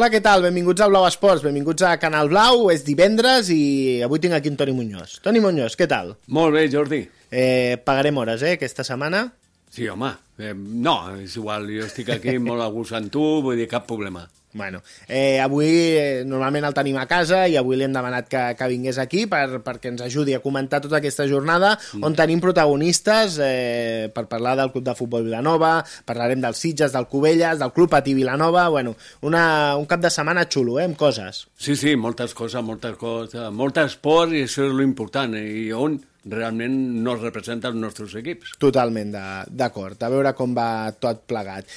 Hola, què tal? Benvinguts a Blau Esports, benvinguts a Canal Blau, és divendres i avui tinc aquí en Toni Muñoz. Toni Muñoz, què tal? Molt bé, Jordi. Pagarem hores, aquesta setmana? Sí, home, no, és igual, jo estic aquí molt a gust amb tu, vull dir, cap problema. Bueno, avui normalment el tenim a casa i avui li hem demanat que vingués aquí perquè ens ajudi a comentar tota aquesta jornada on tenim protagonistes per parlar del Club de Futbol Vilanova, parlarem dels Sitges, del Cubelles, del Club Patí Vilanova, bueno, un cap de setmana xulo, amb coses. Sí, moltes coses, molt esport i això és l'important, i on realment no es representen els nostres equips. Totalment d'acord, a veure com va tot plegat.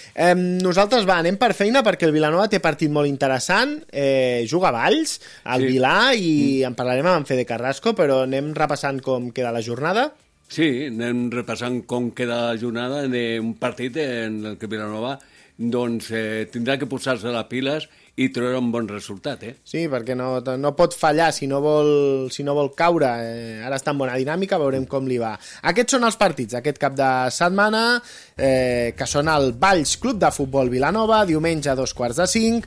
Nosaltres anem per feina perquè el Vilanova té partit molt interessant, juga a Valls, al Vilà, i en parlarem amb en Fede Carrasco, però anem repassant com queda la jornada. Sí, anem repassant com queda la jornada d'un partit en el que Vilanova doncs tindrà que posar-se les piles i treure un bon resultat, Sí, perquè no pot fallar si no vol caure. Ara està en bona dinàmica, veurem com li va. Aquests són els partits aquest cap de setmana, que són el Valls Club de Futbol Vilanova, diumenge a 4:45,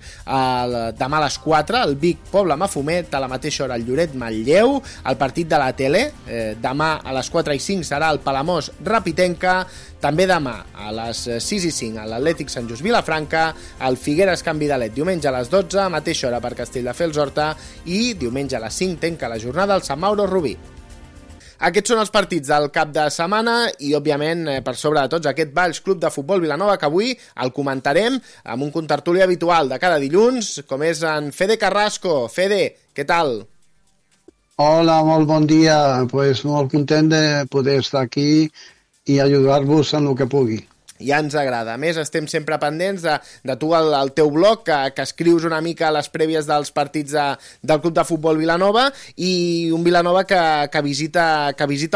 demà a les 4, el Vic Pobla Mafumet, a la mateixa hora el Lloret Manlleu, el partit de la tele, demà a les 4:05 serà el Palamós Rapitenca, també demà a les 6:05 l'Atlètic Sant Just Vilafranca, el Figueres Can Vidalet diumenge a les 12, mateixa hora per Castelldefels Horta, i diumenge a les 5 tanca la jornada al Sant Mauro Rubí. Aquests són els partits del cap de setmana i, òbviament, per sobre de tots, aquest Valls Club de Futbol Vilanova, que avui el comentarem amb un contertuli habitual de cada dilluns, com és en Fede Carrasco. Fede, què tal? Hola, molt bon dia. Pues molt content de poder estar aquí i ajudar-vos en el que pugui. Ja ens agrada. A més, estem sempre pendents de tu al teu blog, que escrius una mica a les prèvies dels partits del Club de Futbol Vilanova, i un Vilanova que visita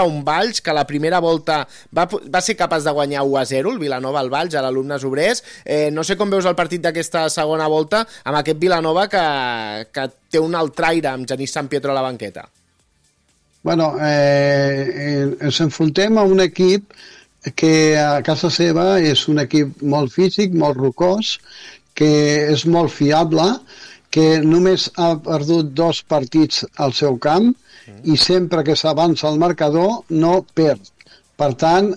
un Valls que la primera volta va ser capaç de guanyar 1-0, el Vilanova al Valls, a l'Alumnes Obrers. No sé com veus el partit d'aquesta segona volta amb aquest Vilanova que té un altre aire amb Genís Sant Pietro a la banqueta. Bueno, ens enfrontem a un equip que a casa seva és un equip molt físic, molt rocós, que és molt fiable, que només ha perdut 2 partits al seu camp i sempre que s'avança el marcador no perd. Per tant,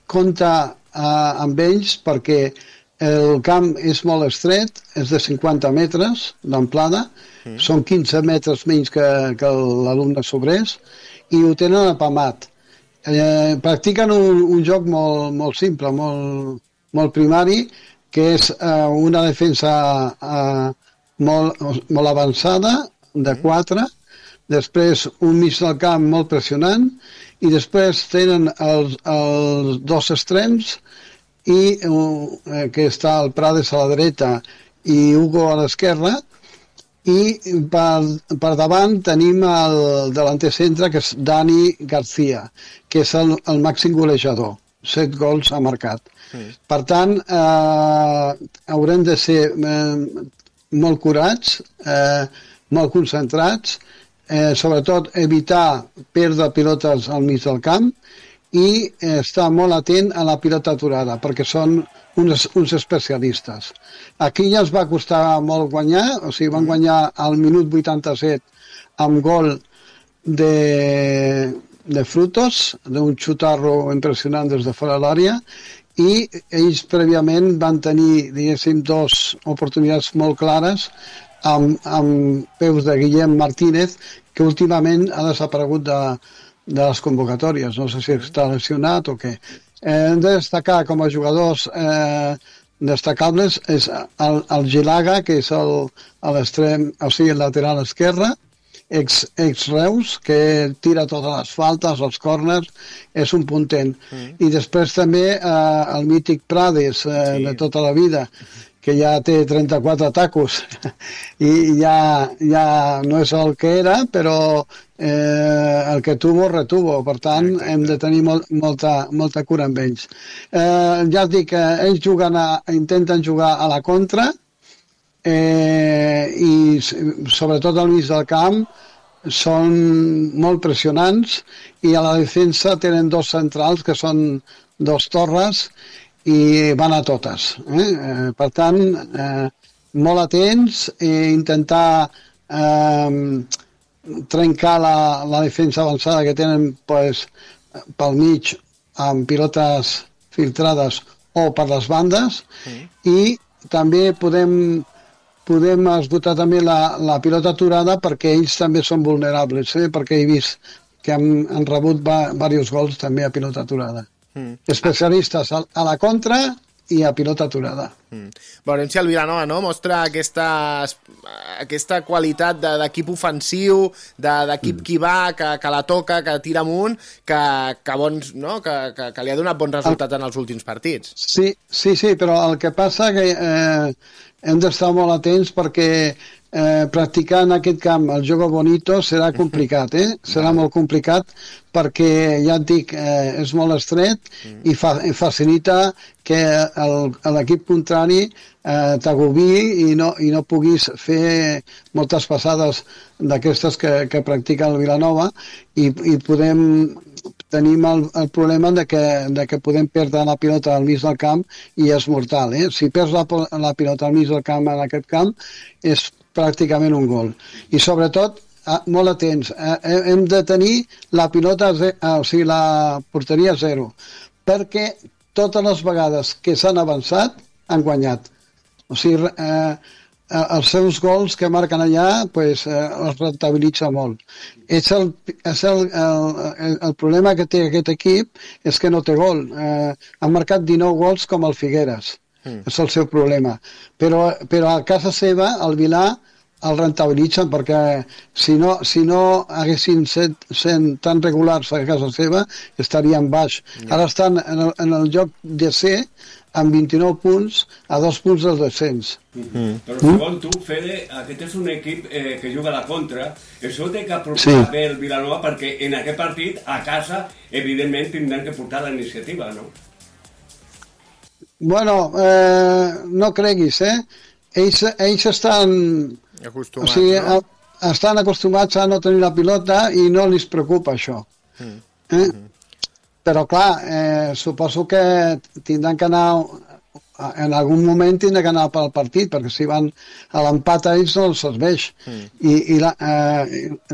compta amb ells perquè el camp és molt estret, és de 50 metres d'amplada, són 15 metres menys que l'Alumnes Obrers, i ho tenen apamat. Practiquen un joc molt simple, molt primari, que és una defensa molt avançada, de 4, després un mig del camp molt pressionant, i després tenen els 2 extrems, i que està el Prades a la dreta i Hugo a l'esquerra, i per davant tenim el delanter centre, que és Dani García, que és el màxim golejador. 7 gols ha marcat. Per tant, haurem de ser molt curats, molt concentrats, sobretot evitar perdre pilotes al mig del camp i estar molt atent a la pilota aturada, perquè són uns especialistes. Aquí ja ens va costar molt guanyar, o sigui, van guanyar al minut 87 amb gol de Frutos, d'un xutarro impressionant des de fora de l'àrea, i ells prèviament van tenir, diguéssim, 2 oportunitats molt clares amb peus de Guillem Martínez, que últimament ha desaparegut de les convocatòries. No sé si està lesionat o què. Hem de destacar com a jugadors destacables és el Gilaga, que és l'extrem, o sigui, el lateral esquerre, ex-Reus, que tira totes les faltes, els córners, és un puntent. I després també el mític Prades, de tota la vida, que ja té 34 tacos i ja no és el que era, però el que tuvo, retuvo. Per tant, hem de tenir molta cura amb ells. Ja et dic que ells intenten jugar a la contra, i sobretot al mig del camp són molt pressionants, i a la defensa tenen 2 centrals que són 2 torres i van a totes. Per tant, molt atents i intentar trencar la defensa avançada que tenen pues, pel mig amb pilotes filtrades o per les bandes i també podem esgotar també la pilota aturada perquè ells també són vulnerables, perquè he vist que han rebut diversos gols també a pilota aturada. Especialistes a la contra i a pilota aturada. Veurem si el Vilanova mostra aquesta qualitat d'equip ofensiu, d'equip que va, que la toca, que tira amunt, que li ha donat bons resultats en els últims partits. Sí, però el que passa que hem d'estar molt atents perquè practicar en aquest camp el jogo bonito serà complicat, serà molt complicat perquè, ja et dic, és molt estret i facilita que l'equip contrari t'agobi i no puguis fer moltes passades d'aquestes que practica el Vilanova i tenim el problema de que podem perdre la pilota al mig del camp i és mortal. Si perds la pilota al mig del camp en aquest camp és pràcticament un gol. I sobretot, molt atents, hem de tenir la pilota, la porteria 0, perquè totes les vegades que s'han avançat han guanyat. O sigui, els seus gols que marquen allà els rentabilitza molt. El problema que té aquest equip és que no té gol. Han marcat 19 gols com el Figueres. És el seu problema. Però a casa seva, el Vilà, el rentabilitzen perquè si no haguessin sent tan regulars a casa seva estarien baix. Ara estan en el lloc de C amb 29 punts a 2 punts del descens. Però segons tu, Fede, aquest és un equip que juga a la contra. Això té que aprofitar bé el Vilanova perquè en aquest partit a casa evidentment tindran que portar la iniciativa, no? Bueno, no creguis, ells estan acostumats, estan acostumats a no tenir la pilota i no els preocupa això. Però clar, suposo que tindran que anar en algun moment tindran que anar pel partit, perquè si van a l'empat a ells no els serveix i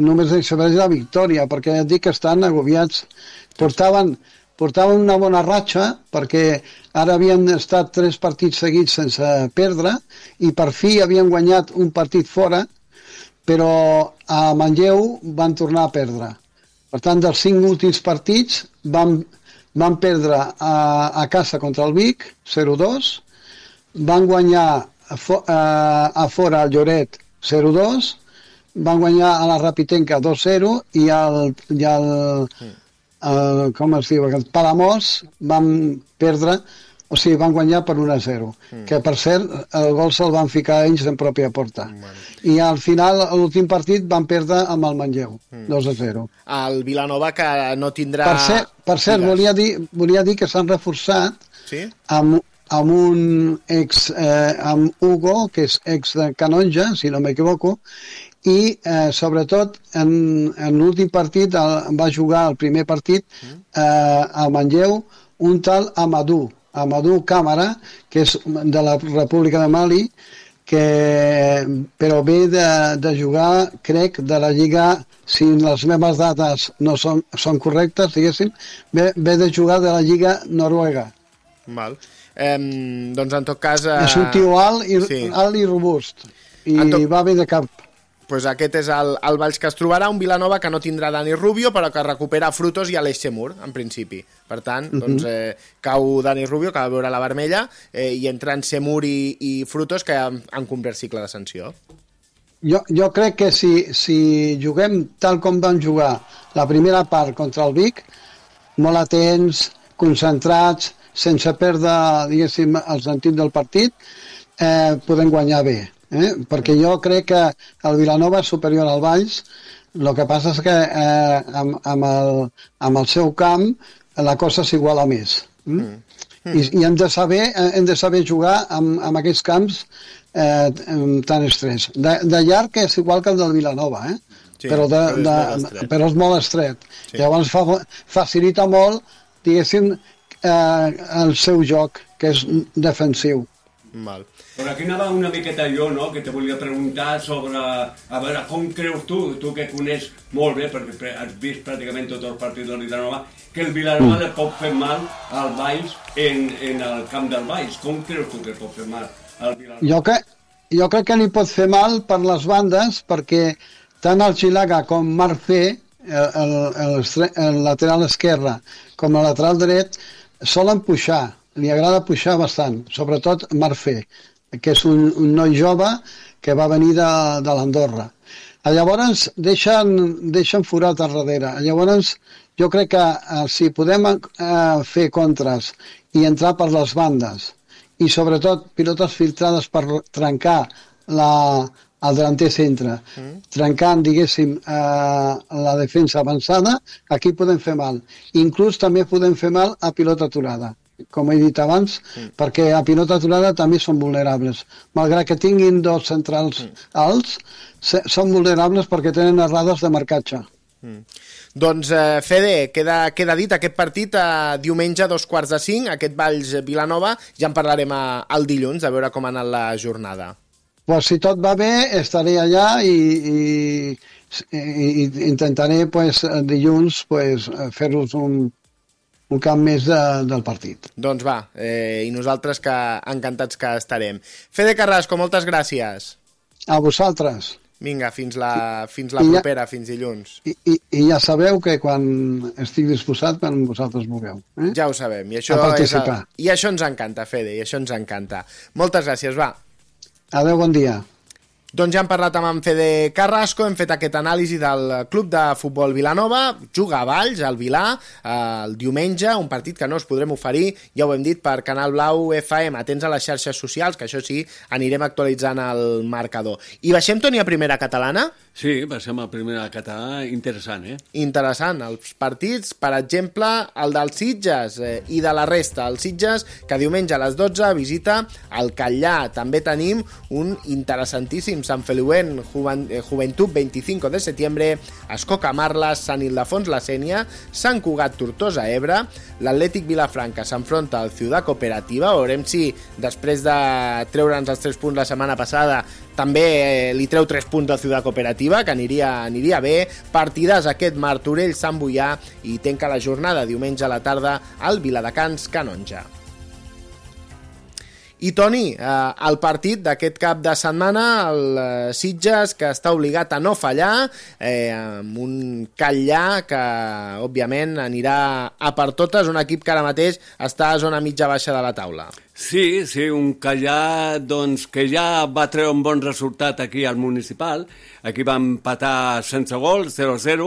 només els serveix la victòria, perquè ja et dic que estan agobiats. Portaven una bona ratxa perquè ara havien estat 3 partits seguits sense perdre i per fi havien guanyat un partit fora, però a Manlleu van tornar a perdre. Per tant, dels 5 últims partits van perdre a casa contra el Vic, 0-2, van guanyar a fora al Lloret, 0-2, van guanyar a la Rapitenca 2-0 i com es diu, el Palamós van perdre, o sigui, van guanyar per 1-0, que per cert el gol se'l van ficar ells en pròpia porta. I al final, a l'últim partit, van perdre amb el Manlleu, 2-0. El Vilanova que no tindrà... Per cert, volia dir que s'han reforçat amb un amb Hugo, que és ex de Canonja, si no m'equivoco, i sobretot en l'últim partit va jugar el primer partit a Manlleu un tal Amadou Càmara, que és de la República de Mali, però ve de jugar, crec, de la Lliga, si les meves dates no són correctes, diguéssim, ve de jugar de la Lliga noruega. Val. Doncs en tot cas... És un tio alt i robust, i va bé de cap. Pues aquest és el Valls que es trobarà, un Vilanova que no tindrà Dani Rubio, però que recupera Frutos i Aleix Semur, en principi. Per tant, doncs, cau Dani Rubio, que va veure la vermella, i entren Semur i Frutos, que han complert cicle de sanció. Jo crec que si juguem tal com vam jugar la primera part contra el Vic, molt atents, concentrats, sense perdre, diguéssim, el sentit del partit, podem guanyar bé. Perquè jo crec que el Vilanova és superior al Valls, el que passa és que amb el seu camp la cosa s'iguala més. I hem de saber jugar amb aquests camps tan estrets. De llarg és igual que el del Vilanova, però és molt estret. Llavors facilita molt, diguéssim, el seu joc, que és defensiu. Val. Però aquí anava una miqueta jo, no?, que te volia preguntar sobre... A veure, com creus tu que coneix molt bé, perquè has vist pràcticament tots els partits del Vilanova, que el Vilanova le pot fer mal al Valls en el camp del Valls. Com creus tu que pot fer mal al Vilanova? Jo crec que li pot fer mal per les bandes, perquè tant el Xilaga com Marfé, el lateral esquerre com el lateral dret, solen puixar. Li agrada puixar bastant, sobretot Marfé, que és un noi jove que va venir de l'Andorra. Llavors deixen forat al darrere. Llavors jo crec que si podem fer contres i entrar per les bandes i sobretot pilotes filtrades per trencar el delanter centre, trencant, diguéssim, la defensa avançada, aquí podem fer mal. Inclús també podem fer mal a pilota aturada, com he dit abans, perquè a pilota aturada també són vulnerables. Malgrat que tinguin dos centrals alts, són vulnerables perquè tenen errades de marcatge. Doncs, Fede, queda dit aquest partit diumenge a 2:45, aquest Valls-Vilanova, ja en parlarem el dilluns, a veure com ha anat la jornada. Pues si tot va bé, estaré allà i intentaré dilluns fer-vos un camp més del partit. Doncs va, i nosaltres que encantats que estarem. Fede Carrasco, moltes gràcies. A vosaltres. Vinga, fins la propera, fins dilluns. I ja sabeu que quan estic disposat, quan vosaltres vulgueu. Ja ho sabem, i això ens encanta, Fede, i això ens encanta. Moltes gràcies, va. Adéu, bon dia. Doncs ja hem parlat amb en Fede Carrasco, hem fet aquest anàlisi del Club de Futbol Vilanova, juga a Valls, al Vilà, el diumenge, un partit que no us podrem oferir, ja ho hem dit, per Canal Blau FM, atents a les xarxes socials, que això sí, anirem actualitzant el marcador. I baixem, Toni, a primera catalana? Sí, baixem a primera catalana, interessant, Interessant, els partits, per exemple, el dels Sitges i de la resta. El Sitges, que diumenge a les 12 visita el Catllà. També tenim un interessantíssim Sant Feliuent Joventut 25 de setembre, Escoca Marles, Sant Ildefons La Sénia, Sant Cugat Tortosa Ebre, l'Atlètic Vilafranca s'enfronta al Ciutat Cooperativa. Veurem si després de treure'ns els 3 punts la setmana passada també li treu 3 punts al Ciutat Cooperativa, que aniria bé. Partides aquest Martorell Sant Boià i tanca la jornada diumenge a la tarda al Viladecans Canonja. I Toni, el partit d'aquest cap de setmana, el Sitges, que està obligat a no fallar, amb un Catllà que, òbviament, anirà a per totes, un equip que ara mateix està a zona mitja-baixa de la taula. Sí, un Catllà doncs, que ja va treure un bon resultat aquí al municipal. Aquí va empatar sense gol, 0-0,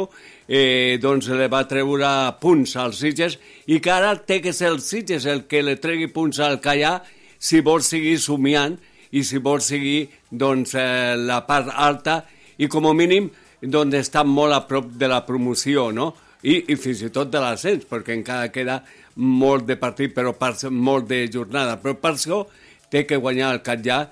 doncs li va treure punts als Sitges i que ara té que ser el Sitges el que li tregui punts al Catllà si vol seguir somiant i si vol seguir doncs, la part alta i com a mínim doncs, està molt a prop de la promoció, no? I fins i tot de l'ascens, perquè encara queda molt de partit, però molt de jornada. Però per això té que guanyar el Catllà,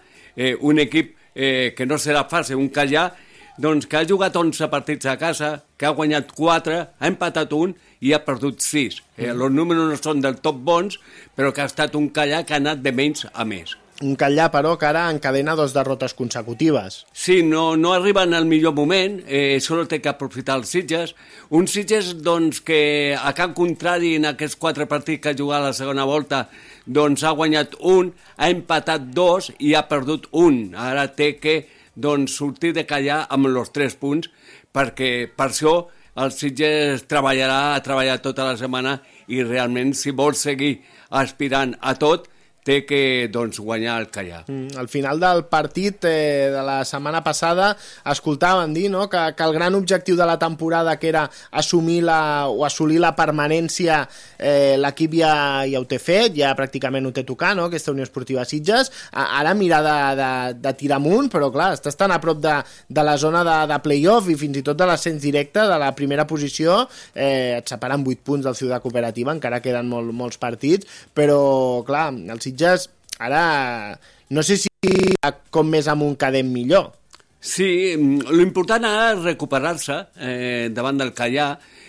un equip que no serà fàcil, un Catllà doncs, que ha jugat 11 partits a casa, que ha guanyat 4, ha empatat 1 i ha perdut 6. Els números no són del tot bons, però que ha estat un Catllà que ha anat de menys a més. Un Catllà, però, que ara encadena 2 derrotes consecutives. Sí, no arriba en el millor moment, solo té que aprofitar els Sitges. Un Sitges doncs, que a cap contrari en aquests 4 partits que ha jugat a la segona volta doncs, ha guanyat 1, ha empatat 2 i ha perdut 1. Ara té que doncs, sortir de Catllà amb els 3 punts, perquè per això el Sitges ha treballat tota la setmana i realment si vol seguir aspirant a tot té que doncs, guanyar el Catllà. Al final del partit de la setmana passada escoltàvem dir, no?, que el gran objectiu de la temporada, que era assolir la permanència, l'equip ja ho té fet, ja pràcticament ho té tocar, no?, aquesta Unió Esportiva Sitges. Ara mira de tirar amunt, però clar, està estant a prop de la zona de play-off i fins i tot de l'ascens directe de la primera posició. Et separen 8 punts del Ciutat Cooperativa, encara queden molts partits, però clar, el Sitges ara no sé si com més amunt quedem millor. Sí, l'important ara és recuperar-se davant del Catllà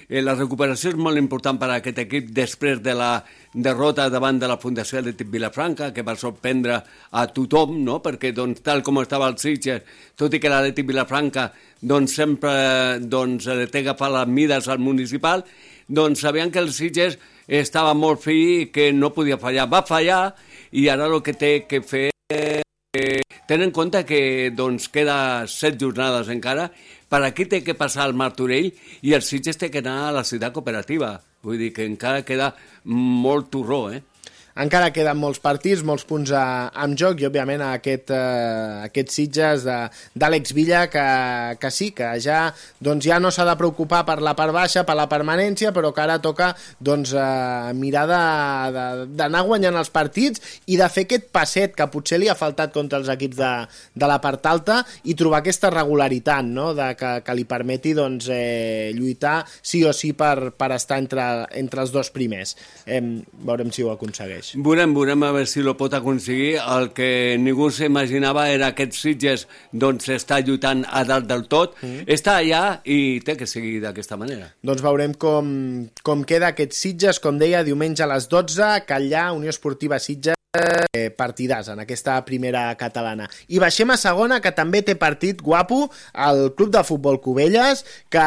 la recuperació és molt important per a aquest equip després de la derrota davant de la Fundació Atlètic Vilafranca, que va sorprendre a tothom, no? Perquè doncs, tal com estava el Sitges, tot i que l'Atlètic Vilafranca doncs, sempre li té agafar les mides al municipal, doncs sabien que el Sitges estava molt fi i que no podia fallar. Va fallar i ara el que té que fer ten en compte que doncs, queda 7 jornades encara. Per aquí té que passar el Martorell i el Sitges té que anar a la ciutat cooperativa. Vull dir que encara queda molt torró, Encara queden molts partits, molts punts en joc i, òbviament, aquest Sitges d'Àlex Villa que sí, que ja no s'ha de preocupar per la part baixa, per la permanència, però que ara toca mirar d'anar guanyant els partits i de fer aquest passet que potser li ha faltat contra els equips de la part alta i trobar aquesta regularitat, no? que li permeti lluitar sí o sí per estar entre els dos primers. Veurem si ho aconsegueix. Veurem a veure si lo pot aconseguir. El que ningú s'imaginava era aquest Sitges doncs està lluitant a dalt del tot, està allà i té que seguir d'aquesta manera. Doncs veurem com queda aquest Sitges, com deia, diumenge a les 12, Catllà, Unió Esportiva Sitges, partidàs en aquesta primera catalana. I baixem a segona, que també té partit guapo, el Club de Futbol Cubelles, que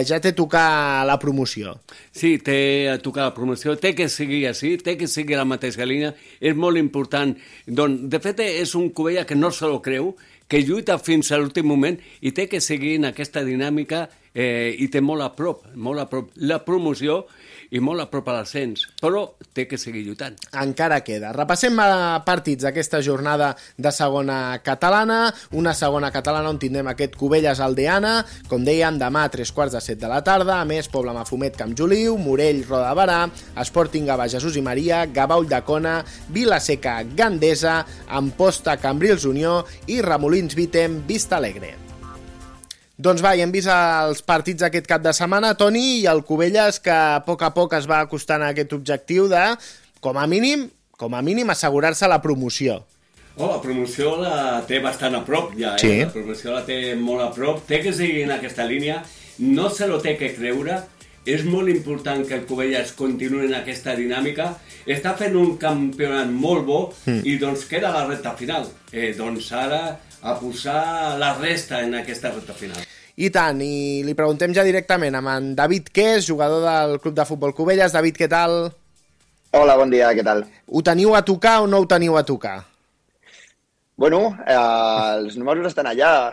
ja té a tocar la promoció. Sí, té a tocar la promoció, té que seguir així, té que seguir la mateixa línia, és molt important. Doncs, de fet, és un Cubella que no se lo creu, que lluita fins a l'últim moment i té que seguir en aquesta dinàmica i té molt a prop la promoció i molt a prop a l'ascens, però té que seguir lluitant. Encara queda. Repassem partits d'aquesta jornada de segona catalana, una segona catalana on tindrem aquest Cubelles Aldeana, com dèiem, demà a 3:15 de la tarda, a més Pobla Mafumet Camp Joliu, Morell Roda de Barà, Sporting Gavà Jesús i Maria, Gavà Ulldecona, Vilaseca Gandesa, Amposta Cambrils Unió i Remolins Vitem Vista Alegre. Doncs va, ja hem vist els partits d'aquest cap de setmana, Toni, i el Cubelles que a poc es va acostant a aquest objectiu de, com a mínim, assegurar-se la promoció. La promoció la té bastant a prop ja, Sí. La promoció la té molt a prop, té que seguir en aquesta línia, no se lo té que creure, és molt important que el Cubelles continuï en aquesta dinàmica, està fent un campionat molt bo i doncs queda la recta final. Doncs ara a posar la resta en aquesta recta final. I tant, i li preguntem ja directament amb en David Qués, jugador del Club de Futbol Cubelles. David, què tal? Hola, bon dia, què tal? Ho teniu a tocar o no ho teniu a tocar? Bueno, els números estan allà.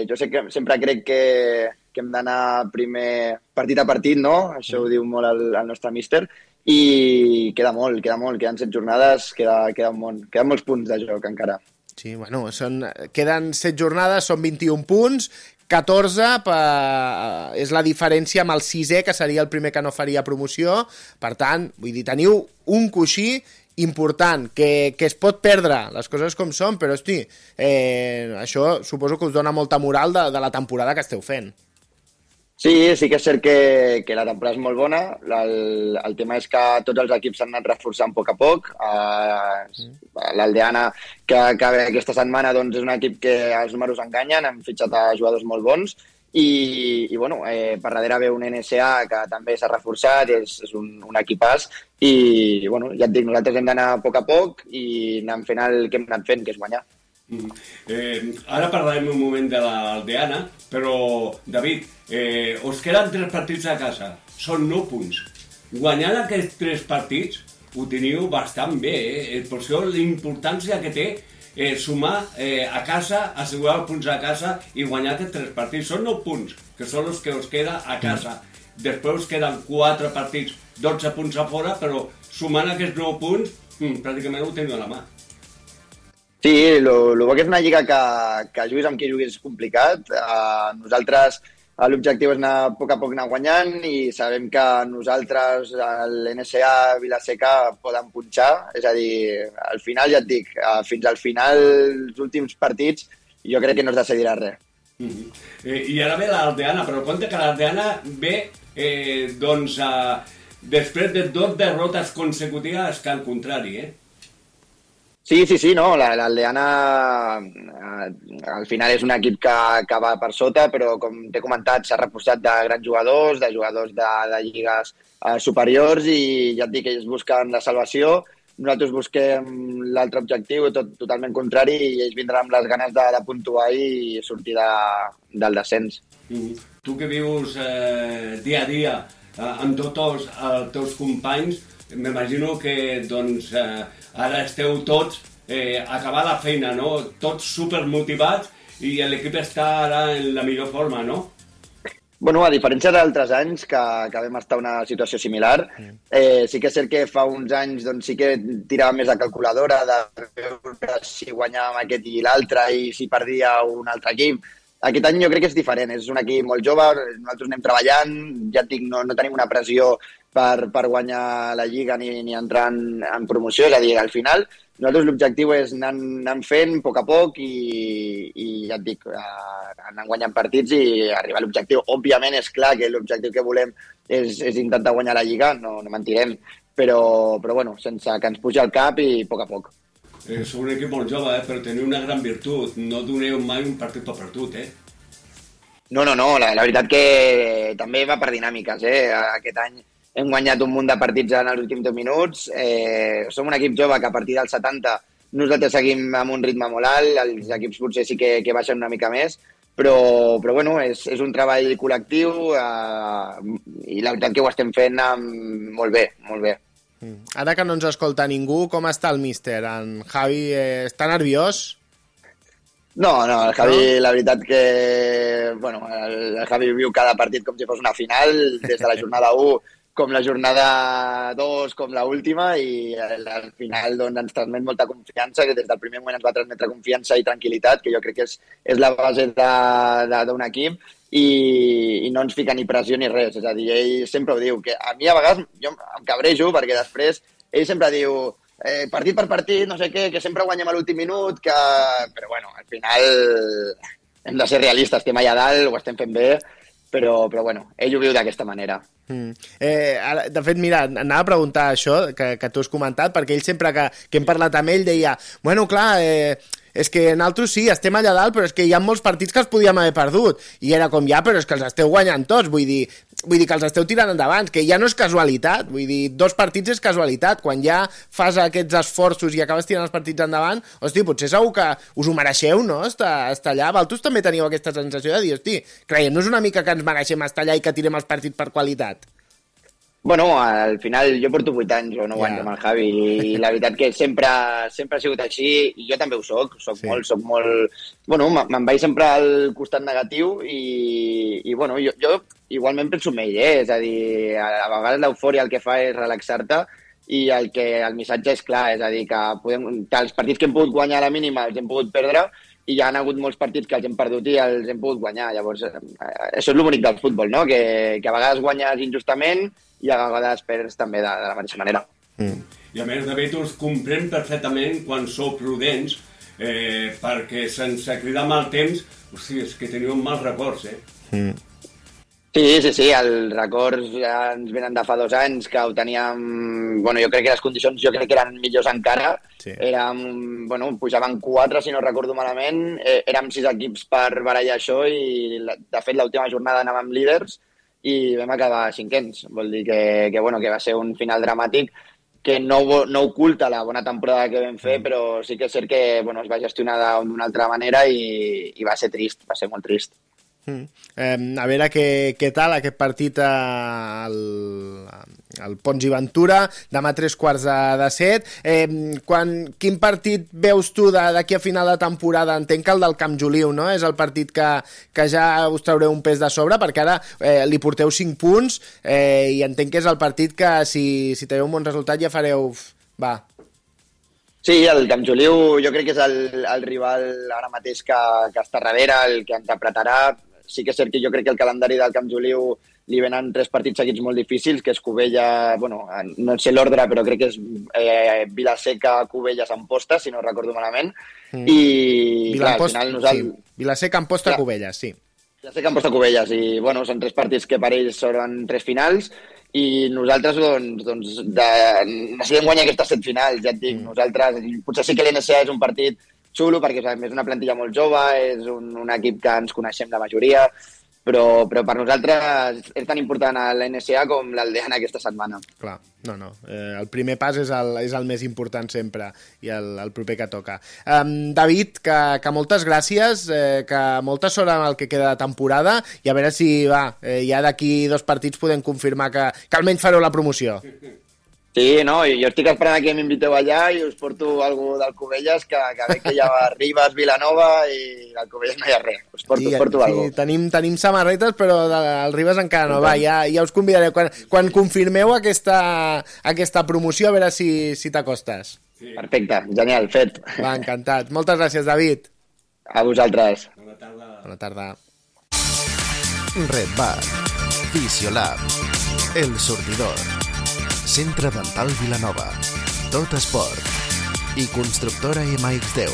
Jo sé que sempre crec que hem d'anar primer partit a partit, no? Això ho diu molt el nostre míster. I queda molt. Queden 7 jornades, queda un món. Queden molts punts de joc encara. Sí, bueno, queden 7 jornades, són 21 punts, 14 és la diferència amb el 6è, que seria el primer que no faria promoció. Per tant, vull dir, teniu un coixí important, que es pot perdre, les coses com són, però, hosti, això suposo que us dona molta moral de la temporada que esteu fent. Sí que és cert que la temporada és molt bona. El tema és que tots els equips s'han anat reforçant a poc. L'Aldeana, que aquesta setmana doncs, és un equip que els números enganyen, han fitxat a jugadors molt bons i bueno, per darrere ve un NSA que també s'ha reforçat, és un equipàs i bueno, ja et dic, nosaltres hem d'anar a poc i anem fent el que hem anat fent, que és guanyar. Ara parlarem un moment de l'Aldeana, però, David, us queden 3 partits a casa, són 9 punts. Guanyant aquests 3 partits ho teniu bastant bé, per això l'importància que té sumar a casa, assegurar els punts a casa i guanyar aquests 3 partits. Són 9 punts, que són els que us queda a casa. Després us queden 4 partits, 12 punts a fora, però sumant aquests 9 punts, pràcticament ho teniu a la mà. Sí, el bo que és una lliga que juguis amb qui juguis és complicat. Nosaltres l'objectiu és anar a poc anar guanyant i sabem que nosaltres, l'NSA, Vilaseca, poden punxar. És a dir, al final, ja et dic, fins al final, els últims partits, jo crec que no es decidirà res. I ara ve l'Aldeana, però compte que l'Aldeana ve després de 2 derrotes consecutives que al contrari, Sí, no, l'Aldeana al final és un equip que va per sota, però com t'he comentat s'ha reforçat de grans jugadors, de lligues superiors i ja et dic que ells busquen la salvació, nosaltres busquem l'altre objectiu totalment contrari i ells vindran amb les ganes de puntuar i sortir del descens. Tu que vius dia a dia amb tots els teus companys, m'imagino que doncs, ara esteu tots a acabar la feina, no? Tots supermotivats i l'equip està ara en la millor forma, no? Bueno, a diferència d'altres anys que vam estar en una situació similar, sí que és cert que fa uns anys doncs, sí que tirava més de calculadora de veure si guanyàvem aquest i l'altre i si perdia un altre equip. Aquest any jo crec que és diferent, és un equip molt jove, nosaltres anem treballant, ja et dic, no tenim una pressió per guanyar la Lliga ni entrar en promoció, és a dir, al final nosaltres l'objectiu és anar fent a poc i ja et dic, anar guanyant partits i arribar a l'objectiu. Òbviament és clar que l'objectiu que volem és intentar guanyar la Lliga, no mentirem, però bueno, sense que ens pugi al cap i a poc. Sou un equip molt jove, però teniu una gran virtut. No doneu mai un partit per perdut, No, la veritat que també va per dinàmiques, Aquest any hem guanyat un munt de partits en els últims 10 minuts. Som un equip jove que a partir dels 70 nosaltres seguim amb un ritme molt alt, els equips potser sí que baixen una mica més, però bueno, és un treball col·lectiu i la veritat que ho estem fent molt bé. Ara que no ens escolta ningú, com està el míster? En Javi està nerviós? No, el Javi, la veritat que... Bueno, el Javi viu cada partit com si fos una final, des de la jornada 1 com la jornada 2, com l'última, i al final doncs, ens transmet molta confiança, que des del primer moment ens va transmetre confiança i tranquil·litat, que jo crec que és la base d'un equip, i no ens fica ni pressió ni res. És a dir, ell sempre ho diu, que a mi a vegades jo em cabrejo perquè després ell sempre diu partit per partit, no sé què, que sempre guanyem a l'últim minut, però bueno, al final hem de ser realistes, estem allà dalt, ho estem fent bé, però bueno, ell ho viu d'aquesta manera. De fet, mira, anava a preguntar això que tu has comentat, perquè ell sempre que hem parlat amb ell deia, bueno, clar, és que nosaltres sí, estem allà dalt, però és que hi ha molts partits que els podíem haver perdut, i era com ja, però és que els esteu guanyant tots, vull dir que els esteu tirant endavant, que ja no és casualitat, vull dir, 2 partits és casualitat, quan ja fas aquests esforços i acabes tirant els partits endavant, hosti, potser segur que us ho mereixeu, no?, estar allà. Vosaltres també teniu aquesta sensació de dir, hosti, creiem-nos una mica que ens mereixem estar allà i que tirem els partits per qualitat? Bueno, al final jo porto 8 anys o 9 anys amb el Javi i la veritat que sempre ha sigut així i jo també ho soc molt... Bueno, me'n vaig sempre al costat negatiu i bueno, jo igualment penso en ell, és a dir, a vegades l'eufòria el que fa és relaxar-te i el missatge és clar, és a dir, que els partits que hem pogut guanyar a la mínima els hem pogut perdre i hi ha hagut molts partits que els hem perdut i els hem pogut guanyar. Llavors, això és el bonic del futbol, no? Que a vegades guanyes injustament i a vegades perds també de la mateixa manera. I a més, David, us comprenc perfectament quan sou prudents, perquè sense cridar mal temps, hosti, és que teniu mals records, Sí, els records ja ens venen de fa 2 anys, que ho teníem... Bueno, jo crec que les condicions eren millors encara. Sí. Pujaven 4, si no recordo malament. Érem 6 equips per barallar això i, de fet, l'última jornada anàvem líders i vam acabar 5ens. Vol dir que va ser un final dramàtic que no oculta la bona temporada que vam fer, però sí que és cert que es va gestionar d'una altra manera i va ser trist, va ser molt trist. A veure què tal aquest partit al Pons i Ventura demà a 6:45. Quin partit veus tu d'aquí a final de temporada? Entenc que el del Camp Joliu, no? És el partit que ja us traureu un pes de sobre, perquè ara li porteu 5 punts i entenc que és el partit que si teniu un bon resultat ja fareu... Sí, el Camp Joliu jo crec que és el rival ara mateix que està darrere, el que ens apretarà. Sí que és cert que jo crec que el calendari del Camp Joliu li venen 3 partits seguits molt difícils, que és Cubella, no sé l'ordre, però crec que és Vilaseca, Cubelles, Amposta, si no recordo malament. I clar, al final nosaltres... Sí. Vilaseca, Amposta, Cubelles, sí. Vilaseca, Amposta, Cubelles, i són 3 partits que per ells són 3 finals, i nosaltres necessitem guanyar aquestes 7 finals, ja et dic, nosaltres, potser sí que l'NCA és un partit xulo perquè és una plantilla molt jove, és un equip que ens coneixem la majoria, però per nosaltres és tan important l'NCA com l'Aldeana aquesta setmana. Clar, no. El primer pas és el més important sempre i el proper que toca. David, que moltes gràcies, que molta sort en el que queda de temporada i a veure si ja d'aquí 2 partits podem confirmar que almenys fareu la promoció. Sí, no, jo estic esperant que m'inviteu allà i us porto algú d'Alcubelles, que veig que hi ha Ribes, Vilanova i d'Alcubelles no hi ha res. Us porto algú. Sí, tenim samarretes, però el Ribes encara no. Va, ja us convidaré. Quan confirmeu aquesta promoció, a veure si t'acostes. Sí. Perfecte, genial, fet. Va, encantat. Moltes gràcies, David. A vosaltres. Bona tarda. Red Bar, Fisiolab, El Sortidor, Centre Dental Vilanova, Tot Esport i Constructora MX10.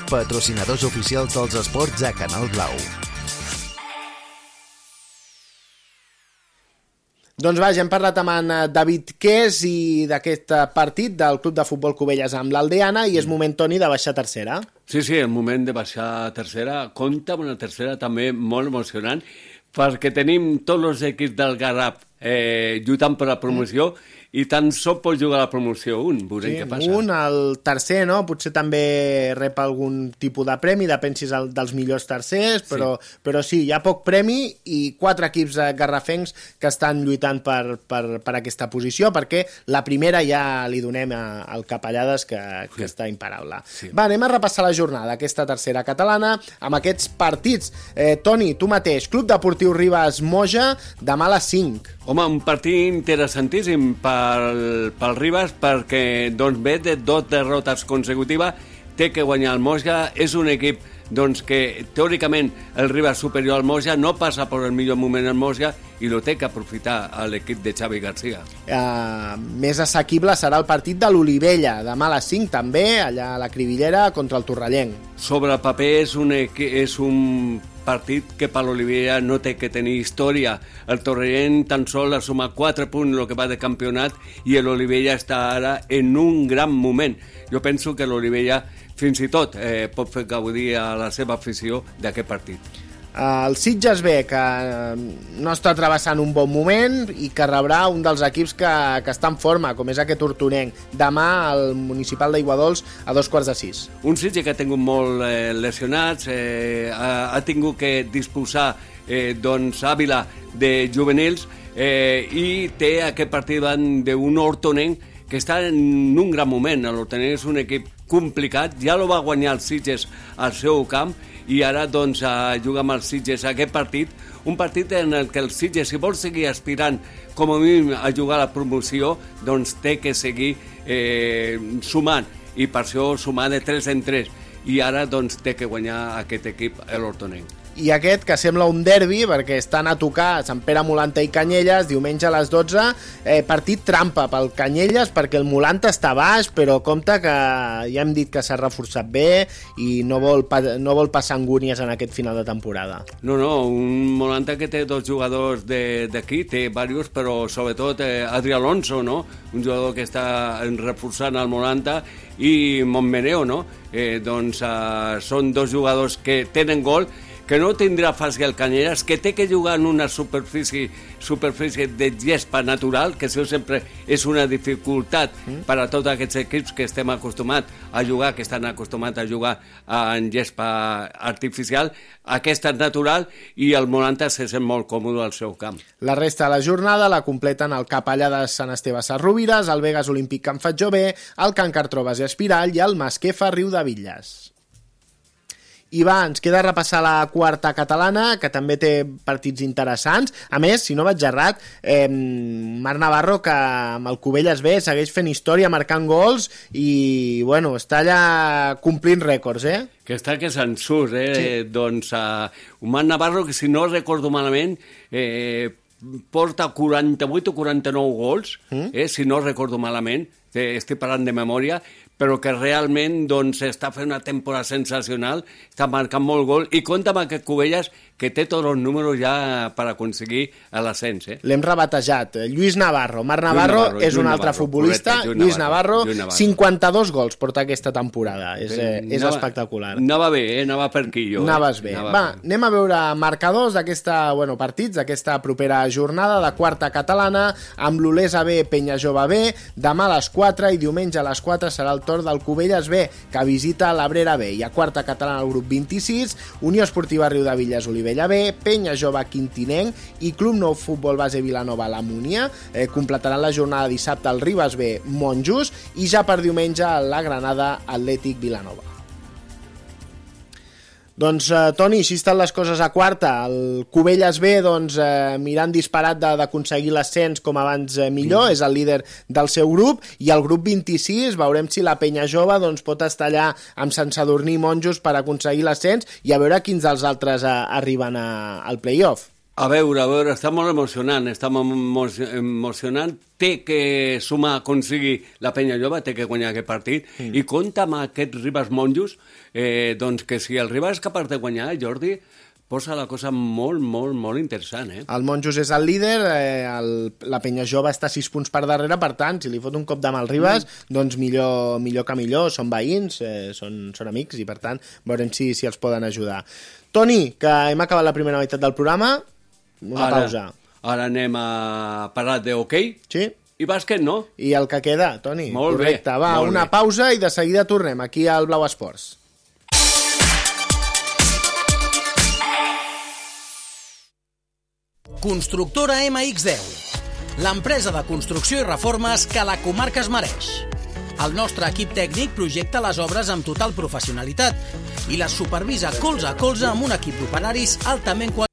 Patrocinadors oficials dels esports a Canal Blau. Doncs va, ja hem parlat amb en David Qués i d'aquest partit del Club de Futbol Cubelles amb l'Aldeana i és moment, Toni, de baixar a tercera. Sí, el moment de baixar a tercera. Compta amb una tercera també molt emocionant perquè tenim tots els equips del Garraf lluitant per la promoció i tan sols pot jugar a la promoció veurem què passa. El tercer, no? Potser també rep algun tipus de premi, depèn si és dels millors tercers, però sí, hi ha poc premi i 4 equips garrafencs que estan lluitant per aquesta posició, perquè la primera ja li donem al Capellades, que està imparable. Sí. Va, anem a repassar la jornada, aquesta tercera catalana, amb aquests partits. Toni, tu mateix, Club Deportiu Ribes Moja, demà a les 5. Home, un partit interessantíssim pel Ribes perquè ve de 2 derrotes consecutives, té que guanyar el Moja, és un equip que teòricament el Ribes superior al Moja, no passa per el millor moment el Moja i lo té que aprofitar l'equip de Xavi García. Més assequible serà el partit de l'Olivella, demà a les 5 també, allà a la Cribillera contra el Torrellenc. Sobre el paper és un partit que per l'Olivella no té que tenir història. El Torrellenc tan sol ha sumat 4 punts el que va de campionat i l'Olivella està ara en un gran moment. Jo penso que l'Olivella fins i tot pot fer gaudir a la seva afició d'aquest partit. El Sitges B, que no està travessant un bon moment i que rebrà un dels equips que està en forma, com és aquest hortonenc, demà al Municipal d'Aiguadols a 5:15. Un Sitges que ha tingut molt lesionats, ha tingut que disposar Àvila de juvenils i té aquest partit davant d'un hortonenc que està en un gran moment. L'Hortonenc és un equip complicat, ja lo va guanyar el Sitges al seu camp i ara juga amb el Sitges aquest partit, un partit en el que el Sitges, si vol seguir aspirant com a mínim a jugar a la promoció, té que seguir sumant i per això sumar de 3 en 3 i ara té que guanyar aquest equip l'Hortonenc. I aquest, que sembla un derbi, perquè estan a tocar Sant Pere Molanta i Canyelles, diumenge a les 12, partit trampa pel Canyelles, perquè el Molanta està baix, però compte que ja hem dit que s'ha reforçat bé i no vol passar angúnies en aquest final de temporada. No, un Molanta que té 2 jugadors d'aquí, té diversos, però sobretot Adri Alonso, no? Un jugador que està reforçant el Molanta, i Montmeneo, no? Són 2 jugadors que tenen gol, que no tindrà fàcil el Canyelles, que té que jugar en una superfície de gespa natural, que això sempre és una dificultat per a tots aquests equips que estem acostumats a jugar, que estan acostumats a jugar en gespa artificial. Aquesta és natural i el Molanta se sent molt còmode al seu camp. La resta de la jornada la completen el Capellades Sant Esteve Sarrovires, el Vegas Olímpic Can Fatjové, el Can Cartrobes i Espirall i el Masquefa Riudebitlles. I va, ens queda repassar la quarta catalana, que també té partits interessants. A més, si no vaig errat, Marc Navarro, que amb el Cubelles B segueix fent història, marcant gols i, bueno, està allà complint rècords, Que està que se'n surt, Sí. Un Marc Navarro que, si no recordo malament, porta 48 o 49 gols, si no recordo malament, estic parlant de memòria, però que realment està fent una temporada sensacional, està marcant molt gol, i compta amb aquest Cubelles que té tots els números ja per aconseguir l'ascens. L'hem rebatejat. Lluís Navarro. Marc Navarro és un altre futbolista. Correcte, Lluís Navarro, 52 gols porta aquesta temporada. És espectacular. Anava bé, anava per aquí jo. Anaves bé. Va, anem a veure marcadors partits d'aquesta propera jornada de quarta catalana, amb l'Olesa B, Penyajove B, demà a les 4 i diumenge a les 4 serà el torn del Cubelles B, que visita l'Abrera B. I a quarta catalana el grup 26, Unió Esportiva Riudevilles Olivella B, Penyajove Quintinenc i Club Nou Futbol Base Vilanova La Múnia. Completaran la jornada dissabte el Ribes B, Monjos, i ja per diumenge la Granada Atlètic Vilanova. Doncs, Toni, així estan les coses a quarta. El Cubelles B, mirant disparat d'aconseguir l'ascens com abans millor, és el líder del seu grup, i el grup 26, veurem si la Penyajove pot estar allà amb Sant Sadurní i Monjos per aconseguir l'ascens, i a veure quins dels altres arriben al play-off. A veure, està molt emocionant, té que sumar, aconseguir la Penyajove, té que guanyar aquest partit, i compta amb aquest Ribes Monjos, que si el Ribes és capaç de guanyar, Jordi, posa la cosa molt, molt, molt interessant. El Monjos és el líder, la Penyajove està 6 punts per darrere, per tant, si li fot un cop de mà al Ribes, doncs millor que millor, són veïns, són amics, i per tant veurem si els poden ajudar. Toni, que hem acabat la primera meitat del programa, pausa. Ara anem a parlar d'hoquei. Sí. I bàsquet, no? I el que queda, Toni. Molt correcte. Va, una pausa i de seguida tornem aquí al Blau Esports. Constructora MX10, l'empresa de construcció i reformes que la comarca es mereix. El nostre equip tècnic projecta les obres amb total professionalitat i les supervisa colze a colze amb un equip d'operaris altament qualificat.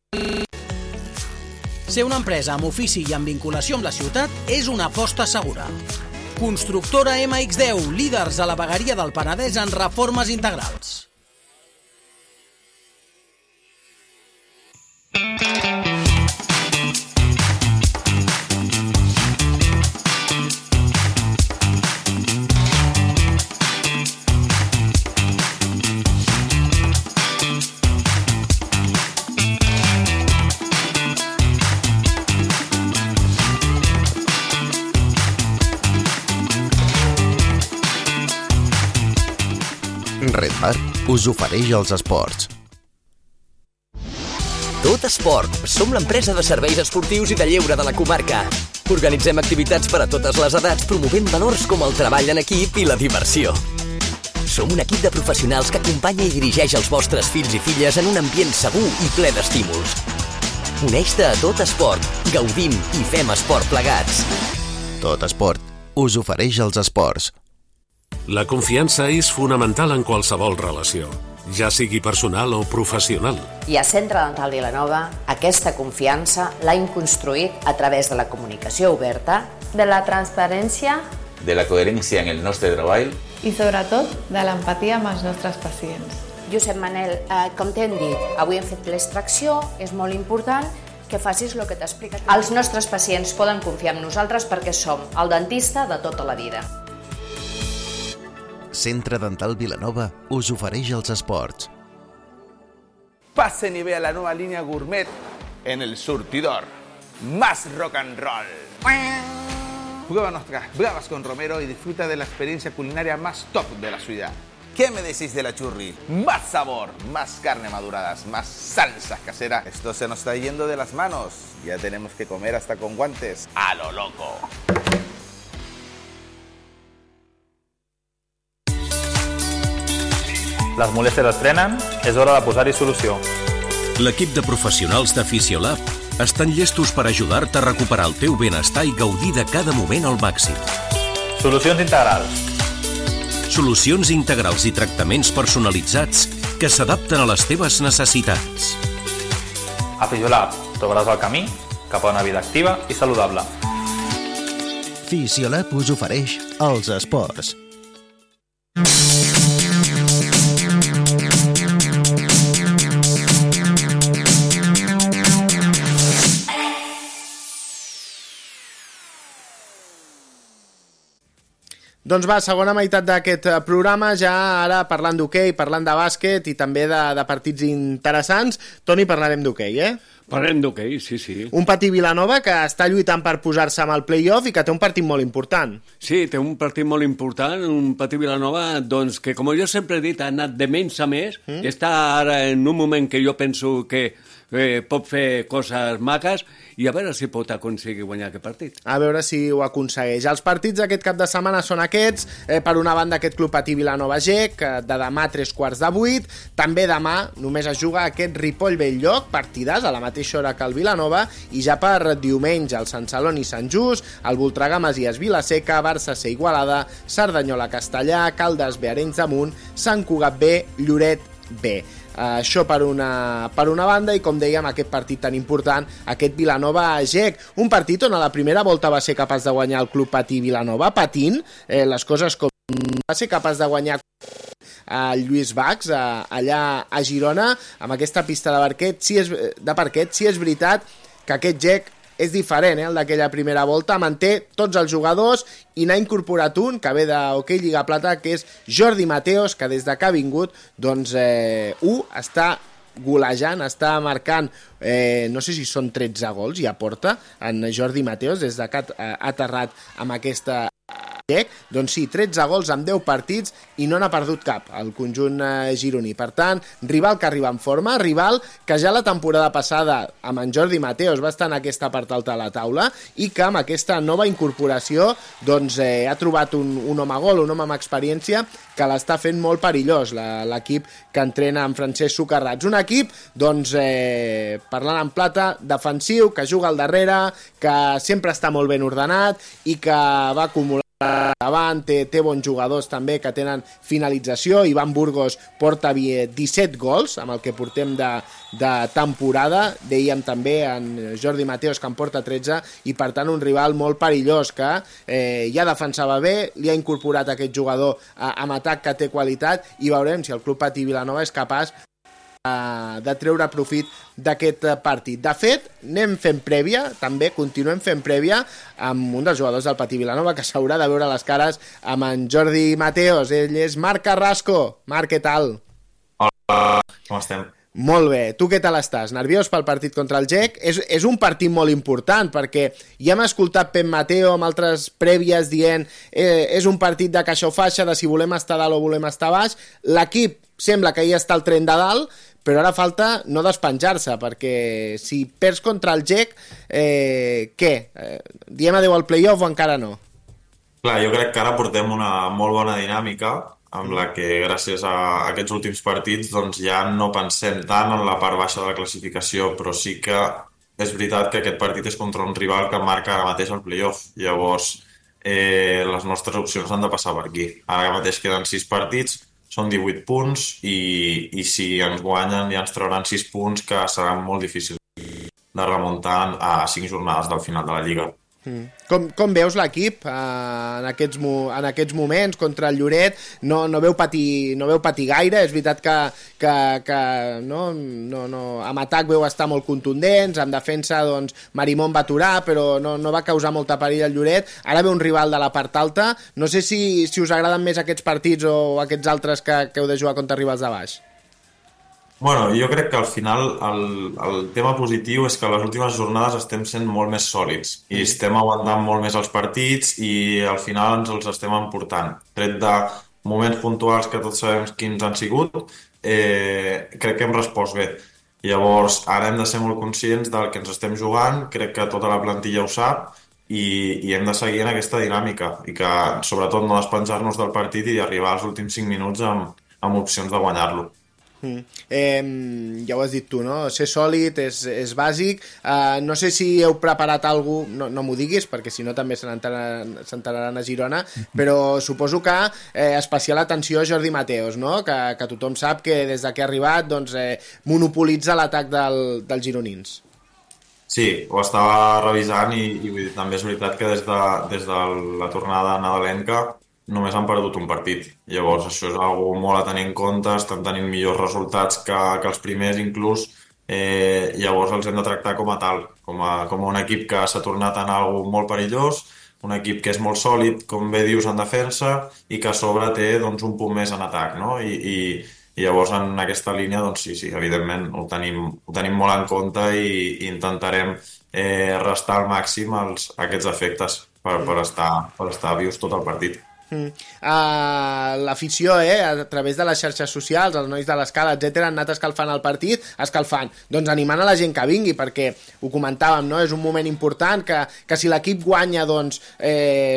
Ser una empresa amb ofici i amb vinculació amb la ciutat és una aposta segura. Constructora MX10, líders a la vegueria del Penedès en reformes integrals. Red Bar us ofereix els esports. Tot Esport. Som l'empresa de serveis esportius i de lleure de la comarca. Organitzem activitats per a totes les edats, promovent valors com el treball en equip i la diversió. Som un equip de professionals que acompanya i dirigeix els vostres fills i filles en un ambient segur i ple d'estímuls. Uneix-te a Tot Esport. Gaudim i fem esport plegats. Tot Esport us ofereix els esports. La confiança és fonamental en qualsevol relació, ja sigui personal o professional. I a Centre Dental Vilanova aquesta confiança l'hem construït a través de la comunicació oberta, de la transparència, de la coherència en el nostre treball i sobretot de l'empatia amb els nostres pacients. Josep Manel, com t'hem dit, avui hem fet l'extracció, és molt important que facis el que t'explica. Els nostres pacients poden confiar en nosaltres perquè som el dentista de tota la vida. Centre Dental Vilanova us ofereix els esports. Pasen y vea la nueva línea gourmet en El Surtidor. Más rock and roll. Prueba nuestras bravas con Romero y disfruta de la experiencia culinaria más top de la ciudad. ¿Qué me decís de la churri? Más sabor, más carne maduradas, más salsas caseras. Esto se nos está yendo de las manos. Ya tenemos que comer hasta con guantes. A lo loco. Les molèsties es frenen, és hora de posar-hi solució. L'equip de professionals de Fisiolab estan llestos per ajudar-te a recuperar el teu benestar i gaudir de cada moment al màxim. Solucions integrals. Solucions integrals i tractaments personalitzats que s'adapten a les teves necessitats. A Fisiolab trobaràs el camí cap a una vida activa i saludable. Fisiolab us ofereix els esports. Doncs va, segona meitat d'aquest programa, ja ara parlant d'hoquei, parlant de bàsquet i també de partits interessants. Toni, parlarem d'hoquei, Parlem d'hoquei, sí. Un Patí Vilanova que està lluitant per posar-se amb el play-off i que té un partit molt important. Sí, té un partit molt important, un Patí Vilanova, doncs, que com jo sempre he dit, ha anat de menys a més, està ara en un moment que jo penso que pot fer coses maques i a veure si pot aconseguir guanyar aquest partit. A veure si ho aconsegueix. Els partits d'aquest cap de setmana són aquests. Per una banda, aquest Club Patí Vilanova GEC, de demà a 7:45. També demà només es juga aquest Ripoll Bell-lloc, partidàs a la mateixa hora que el Vilanova, i ja per diumenge el Sant Celoni Sant Just, el Voltregà Masies Vilaseca, Barça C Igualada, Cerdanyola Castellà, Caldes B Arenys de Munt, Sant Cugat B, Lloret B. Això per una banda, i com dèiem, aquest partit tan important, aquest Vilanova-GEC, un partit on a la primera volta va ser capaç de guanyar el Club Patí Vilanova, patint les coses com va ser capaç de guanyar el Lluís Bax allà a Girona, amb aquesta pista de parquet. Sí és veritat que aquest GEC és diferent, el d'aquella primera volta, manté tots els jugadors i n'ha incorporat un que ve d'Hockey Lliga Plata, que és Jordi Mateos, que des que ha vingut doncs està golejant, està marcant, no sé si són 13 gols, ja porta en Jordi Mateos des que ha aterrat amb aquesta GEC, doncs sí, 13 gols en 10 partits i no n'ha perdut cap el conjunt gironí. Per tant, rival que arriba en forma, rival que ja la temporada passada amb en Jordi Mateos va estar en aquesta part alta de la taula i que amb aquesta nova incorporació doncs ha trobat un home gol, un home amb experiència que l'està fent molt perillós, l'equip que entrena en Francesc Socarrats. Un equip, doncs, parlant en plata, defensiu, que juga al darrere, que sempre està molt ben ordenat i que va acumular davant, té bons jugadors també que tenen finalització. Ivan Burgos porta 17 gols amb el que portem de temporada, dèiem també en Jordi Mateos que en porta 13, i per tant un rival molt perillós que ja defensava bé, li ha incorporat aquest jugador amb atac que té qualitat, i veurem si el Club Patí Vilanova és capaç de treure profit d'aquest partit. De fet, anem fent prèvia, també continuem fent prèvia amb un dels jugadors del Patí Vilanova que s'haurà de veure les cares amb en Jordi Mateos. Ell és Marc Carrasco. Marc, què tal? Hola, com estem? Molt bé. Tu què tal estàs? Nerviós pel partit contra el GEC? És un partit molt important perquè ja hem escoltat Pep Mateo amb altres prèvies dient és un partit de caixa o faixa, de si volem estar dalt o volem estar baix. L'equip sembla que ja està al tren de dalt, però ara falta no despenjar-se, perquè si perds contra el GEC, què? Diem adeu al play-off o encara no? Clar, jo crec que ara portem una molt bona dinàmica amb la que gràcies a aquests últims partits doncs ja no pensem tant en la part baixa de la classificació, però sí que és veritat que aquest partit és contra un rival que marca ara mateix el play-off. Llavors les nostres opcions han de passar per aquí. Ara mateix queden 6 partits, són 18 punts i si ens guanyen ja ens trauran 6 punts, que seran molt difícils de remuntar a 5 jornades del final de la Lliga. Com veus l'equip en aquests moments contra el Lloret? No veu patir gaire. És veritat que amb atac veu estar molt contundents, en defensa doncs Marimón va aturar, però no va causar molta perill al Lloret. Ara ve un rival de la part alta. No sé si us agraden més aquests partits o aquests altres que heu de jugar contra rivals de baix. Bueno, jo crec que al final el tema positiu és que a les últimes jornades estem sent molt més sòlids i estem aguantant molt més els partits i al final ens els estem emportant. Tret de moments puntuals que tots sabem quins han sigut, crec que hem respost bé. Llavors, ara hem de ser molt conscients del que ens estem jugant, crec que tota la plantilla ho sap i hem de seguir en aquesta dinàmica i que sobretot no despenjar-nos del partit i d'arribar als últims 5 minuts amb opcions de guanyar-lo. Ja ho has dit tu, no? Ser sòlid és bàsic. No sé si heu preparat alguna cosa, no m'ho diguis perquè si no també s'enteraran a Girona, però suposo que especial atenció a Jordi Mateos, no? Que tothom sap que des que ha arribat doncs, monopolitza l'atac dels gironins. Sí, ho estava revisant i també és veritat que des de la tornada nadalenca només han perdut un partit. Llavors això és algo molt a tenir en compte, estan tenint millors resultats que els primers inclús, llavors els hem de tractar com a tal, com un equip que s'ha tornat en algo molt perillós, un equip que és molt sòlid, com bé dius, en defensa, i que a sobre té doncs, un punt més en atac, no? I llavors en aquesta línia, doncs sí, evidentment ho tenim molt en compte i intentarem restar al màxim aquests efectes per estar vius tot el partit. L'afició, a través de les xarxes socials, els nois de l'escala, etc, han anat escalfant el partit, doncs animant a la gent que vingui, perquè ho comentàvem, no? És un moment important que si l'equip guanya, doncs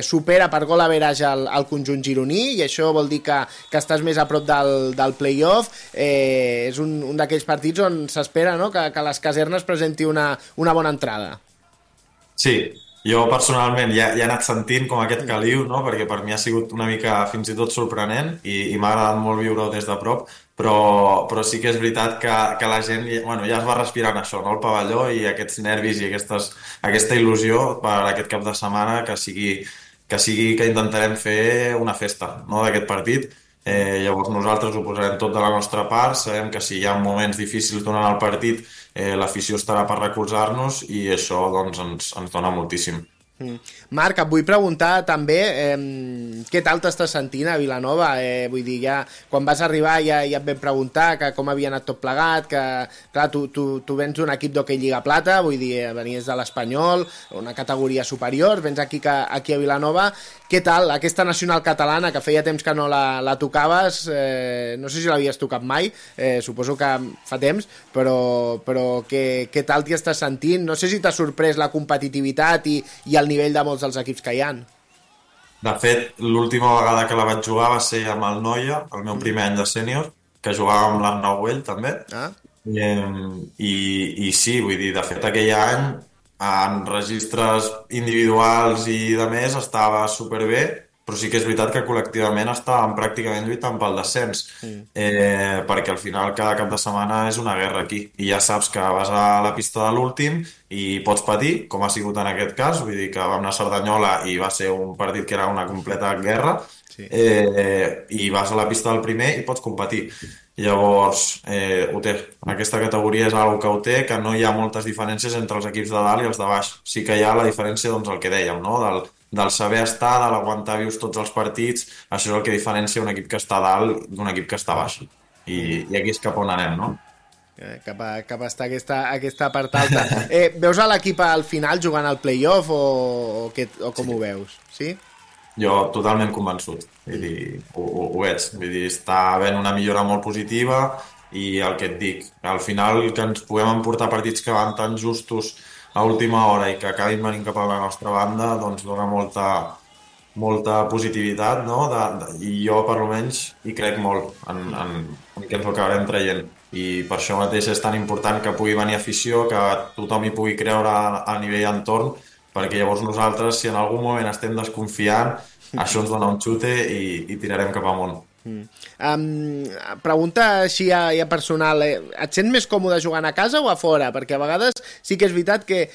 supera per gol average al conjunt gironí, i això vol dir que estàs més a prop del play-off. És un d'aquells partits on s'espera, no?, que les casernes presenti una bona entrada. Sí, jo personalment ja he anat sentint com aquest caliu, no? Perquè per mi ha sigut una mica fins i tot sorprenent i m'ha agradat molt viure-ho des de prop, però sí que és veritat que la gent ja es va respirant això, no? El pavelló i aquests nervis i aquesta il·lusió per aquest cap de setmana que intentarem fer una festa, no?, d'aquest partit. Llavors nosaltres ho posarem tot de la nostra part, sabem que si hi ha moments difícils durant el partit l'afició estarà per recolzar-nos i això doncs ens dona moltíssim. Marc, et vull preguntar també què tal t'estàs sentint a Vilanova? Vull dir, ja quan vas arribar ja et vam preguntar com havia anat tot plegat, que clar, tu vens d'un equip d'hoquei Lliga Plata, vull dir, venies de l'Espanyol, una categoria superior, vens aquí a Vilanova. Què tal aquesta nacional catalana, que feia temps que no la tocaves, no sé si l'havies tocat mai, suposo que fa temps, però què tal t'hi estàs sentint? No sé si t'ha sorprès la competitivitat i el nivell de molts dels equips que hi ha. De fet, l'última vegada que la vaig jugar va ser amb el Noia, el meu primer any de sènior, que jugava amb l'Arnau Güell, també. I sí, vull dir, de fet, aquell any, en registres individuals i de més, estava superbé, però sí que és veritat que col·lectivament estàvem pràcticament lluitant pel descens, perquè al final cada cap de setmana és una guerra aquí, i ja saps que vas a la pista de l'últim i pots patir, com ha sigut en aquest cas, vull dir que vam anar a Cerdanyola i va ser un partit que era una completa guerra, i vas a la pista del primer i pots competir. Llavors, ho té. Aquesta categoria és una que ho té, que no hi ha moltes diferències entre els equips de dalt i els de baix. Sí que hi ha la diferència, doncs, el que dèiem, no?, del saber estar, de l'aguantar vius tots els partits. Això és el que diferencia un equip que està a dalt d'un equip que està a baix. I aquí és cap on anem, no? Cap a estar aquesta part alta. Veus a l'equip al final jugant al play-off o com ho veus? Sí? Jo totalment convençut. Vull dir, ho veig. Vull dir, està havent una millora molt positiva i el que et dic, al final que ens puguem emportar partits que van tan justos a última hora i que acabin venint cap a la nostra banda, doncs dona molta positivitat, no? I jo, per almenys, hi crec molt en què ens ho acabarem traient. I per això mateix és tan important que pugui venir afició, que tothom hi pugui creure a nivell entorn, perquè llavors nosaltres, si en algun moment estem desconfiant, això ens dona un xute i tirarem cap amunt. Pregunta així ja personal, et sents més còmode jugant a casa o a fora? Perquè a vegades sí que és veritat que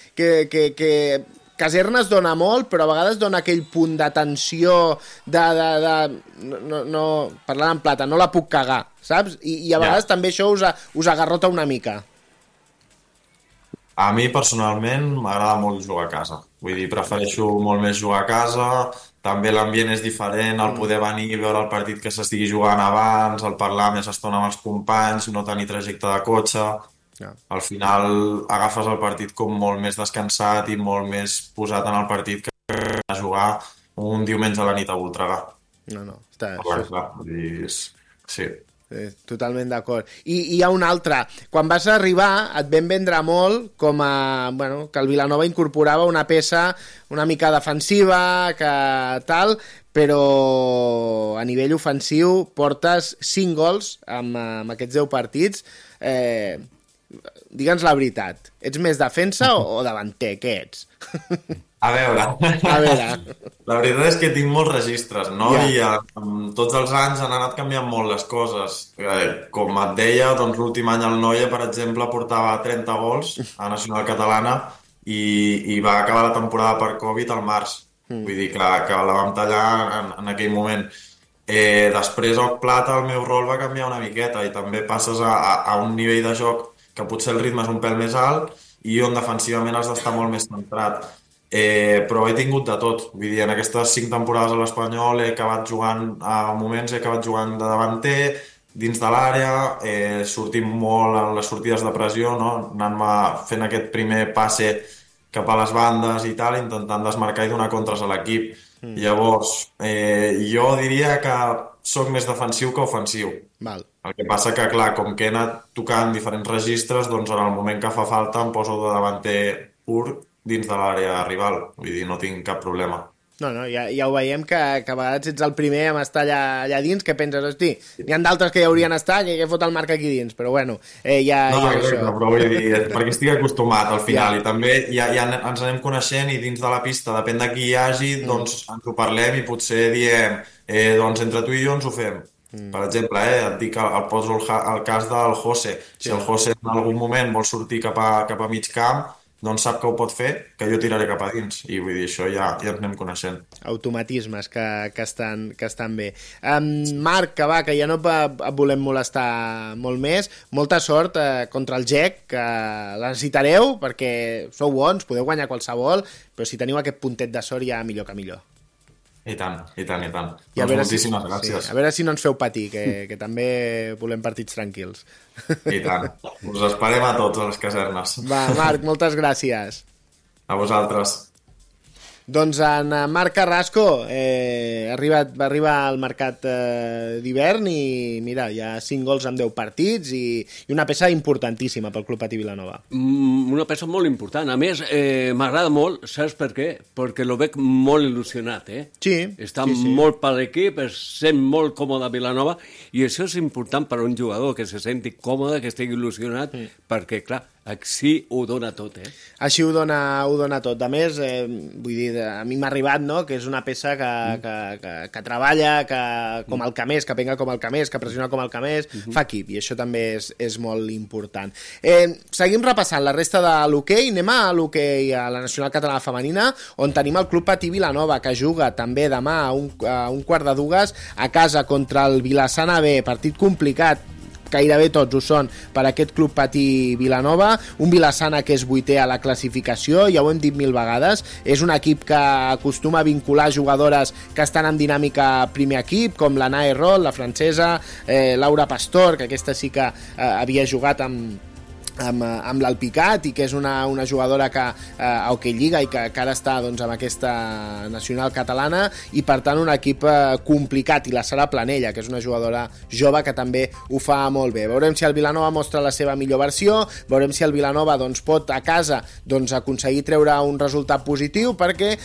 Casernes dona molt, però a vegades dona aquell punt de tensió no, parlant en plata, no la puc cagar, saps? I a vegades també això us agarrota una mica. A mi personalment m'agrada molt jugar a casa, vull dir, prefereixo molt més jugar a casa. També l'ambient és diferent, el poder venir i veure el partit que s'estigui jugant abans, el parlar més estona amb els companys, no tenir trajecte de cotxe. Al final agafes el partit com molt més descansat i molt més posat en el partit que a jugar un diumenge a la nit a Voltregà. No, està... Sí. Totalment d'acord. I hi ha un altre. Quan vas arribar et vam vendre molt com que el Vilanova incorporava una peça una mica defensiva, que tal, però a nivell ofensiu portes 5 gols amb aquests 10 partits. Digue'ns la veritat, ets més defensa o davanter? Què ets? A veure, la veritat és que tinc molts registres, no? I amb tots els anys han anat canviant molt les coses. Com et deia, doncs l'últim any el Noia, per exemple, portava 30 gols a Nacional Catalana i va acabar la temporada per Covid al març. Vull dir que la vam tallar en aquell moment. Després al Plata el meu rol va canviar una miqueta i també passes a un nivell de joc que potser el ritme és un pèl més alt i on defensivament has d'estar molt més centrat. però he tingut de tot. Vull dir, en aquestes 5 temporades a l'Espanyol he acabat jugant, a moments he acabat jugant de davanter, dins de l'àrea, sortint molt en les sortides de pressió, no? Anant-me fent aquest primer passe cap a les bandes i tal, intentant desmarcar i donar contres a l'equip. Llavors, jo diria que soc més defensiu que ofensiu. Val. El que passa que, clar, com que he anat tocant diferents registres, doncs en el moment que fa falta em poso de davanter pur dins de l'àrea rival. Vull dir, no tinc cap problema. No, ja ho veiem que a vegades ets el primer a estar allà dins, que penses, hosti, n'hi ha d'altres que ja haurien estat, que fot el Marc aquí dins, però bueno, exacte, però vull dir, perquè estic acostumat al final, i també ja ens anem coneixent i dins de la pista, depèn de qui hi hagi, doncs ens ho parlem i potser diem, doncs entre tu i jo ens ho fem. Per exemple, et dic, poso el cas del José. Si el José en algun moment vol sortir cap a mig camp, doncs sap que ho pot fer, que jo tiraré cap a dins. I vull dir, això ja ens anem coneixent. Automatismes que estan bé. Marc, que ja no et volem molestar molt més. Molta sort contra el GEC, que la necessitareu, perquè sou bons, podeu guanyar qualsevol, però si teniu aquest puntet de sort ja millor que millor. I tant. I doncs moltíssimes gràcies. Sí, a veure si no ens feu patir, que també volem partits tranquils. I tant. Us esperem a tots a les casernes. Va, Marc, moltes gràcies. A vosaltres. Doncs en Marc Carrasco va arribar al mercat d'hivern i mira, hi ha 5 gols en 10 partits i una peça importantíssima pel Club Patí Vilanova. Una peça molt important. A més, m'agrada molt, saps per què? Perquè lo veig molt il·lusionat, Sí. Està molt per l'equip, es sent molt còmode a Vilanova i això és important per a un jugador, que se senti còmode, que estigui il·lusionat, perquè, clar, així ho dona tot, Així ho dona tot. A més, vull dir, a mi m'ha arribat, no?, que és una peça que treballa, que com el Camés, que penga com el Camés, que pressiona com el Camés, fa equip, i això també és molt important. Seguim repassant la resta de l'hoquei. Anem a l'hoquei a la Nacional Catalana Femenina, on tenim el Club Patí Vilanova, que juga també demà a un quart de dues a casa contra el Vilassana B. Partit complicat, gairebé tots ho són per aquest Club Patí Vilanova, un Vilassana que és 8è a la classificació, ja ho hem dit 1000 vegades, és un equip que acostuma a vincular jugadores que estan en dinàmica primer equip, com la Nae Roll, la francesa, Laura Pastor, que aquesta sí que havia jugat amb l'Alpicat i que és una jugadora que a Hockey Lliga i que ara està doncs, amb aquesta nacional catalana, i per tant un equip complicat, i la Sara Planella, que és una jugadora jove que també ho fa molt bé. Veurem si el Vilanova mostra la seva millor versió, veurem si el Vilanova doncs, pot a casa aconseguir treure un resultat positiu, perquè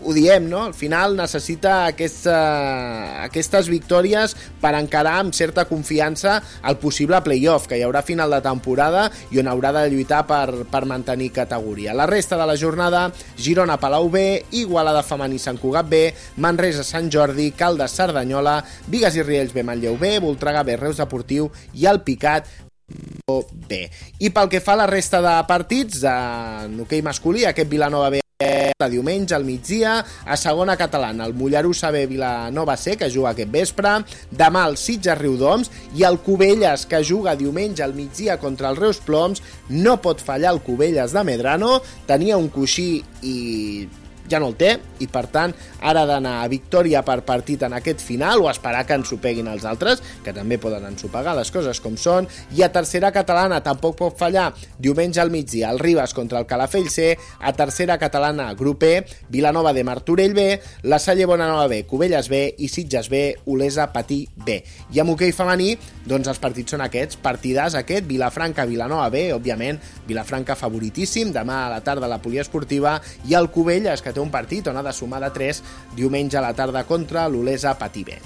ho diem, no? Al final necessita aquestes victòries per encarar amb certa confiança el possible playoff que hi haurà a final de temporada i on haurà de lluitar per mantenir categoria. La resta de la jornada: Girona Palau B, Igualada Femení Sant Cugat B, Manresa Sant Jordi, Caldes Cerdanyola, Bigues i Riells B, Manlleu B, Voltregà B, Reus Deportiu i Alpicat B. I pel que fa a la resta de partits en hoquei masculí, aquest Vilanova B de diumenge al migdia, a segona catalana el Mollerussa B Vilanova C, que juga aquest vespre, demà el Sitges Riudoms, i el Cubelles, que juga diumenge al migdia contra el Reus Ploms. No pot fallar el Cubelles de Medrano, tenia un coixí i ja no el té, i per tant ara ha d'anar a victòria per partit en aquest final, o esperar que ens ho peguin els altres, que també poden ensopegar les coses com són. I a tercera catalana tampoc pot fallar diumenge al migdia el Ribes contra el Calafell C, a tercera catalana grup E, Vilanova de Martorell B, la Salle Bonanova B, Cubelles B i Sitges B, Olesa Patí B. I amb hoquei femení, doncs els partits són aquests, partidàs aquest, Vilafranca Vilanova B, òbviament Vilafranca favoritíssim, demà a la tarda a la Poliesportiva, i el Cubelles, que té un partit on ha de sumar de 3 diumenge a la tarda contra l'Olesa Patí B.